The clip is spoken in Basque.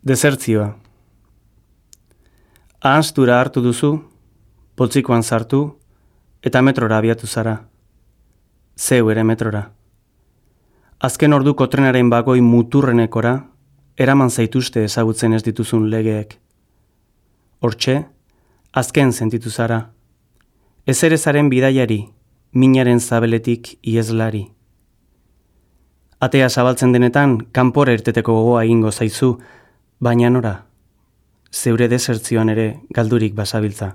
Desertzioa. Ahaztura hartu duzu, poltsikoan sartu, eta metrora abiatu zara. Zeu ere metrora. Azken orduko trenaren bagoi muturrenekora, eraman zaituzte ezagutzen ez dituzun legeek. Hortxe, azken sentitu zara. Ezerezaren bidaiari, minaren zabeletik iezlari. Atea zabaltzen denetan, kanpora irteteko gogoa egingo zaizu, baina nora, zeure desertzioan ere galdurik basabiltza.